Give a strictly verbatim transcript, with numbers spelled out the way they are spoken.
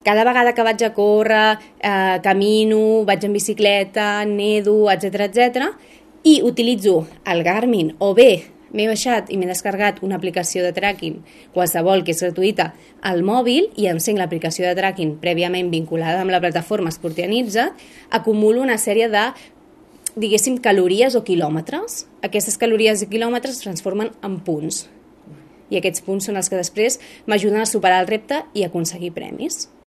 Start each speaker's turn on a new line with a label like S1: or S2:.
S1: Cada vegada que vaig a córrer, eh, camino, vaig en bicicleta, nedo, etcètera, etcètera, i utilitzo el Garmin, o bé m'he baixat i m'he descarregat una aplicació de tracking, qualsevol que és gratuïta, al mòbil, i encenc l'aplicació de tracking prèviament vinculada amb la plataforma Sportianitza, acumulo una sèrie de, diguéssim, calories o quilòmetres. Aquestes calories i quilòmetres es transformen en punts. I aquests punts són els que després m'ajuden a superar el repte i a aconseguir premis.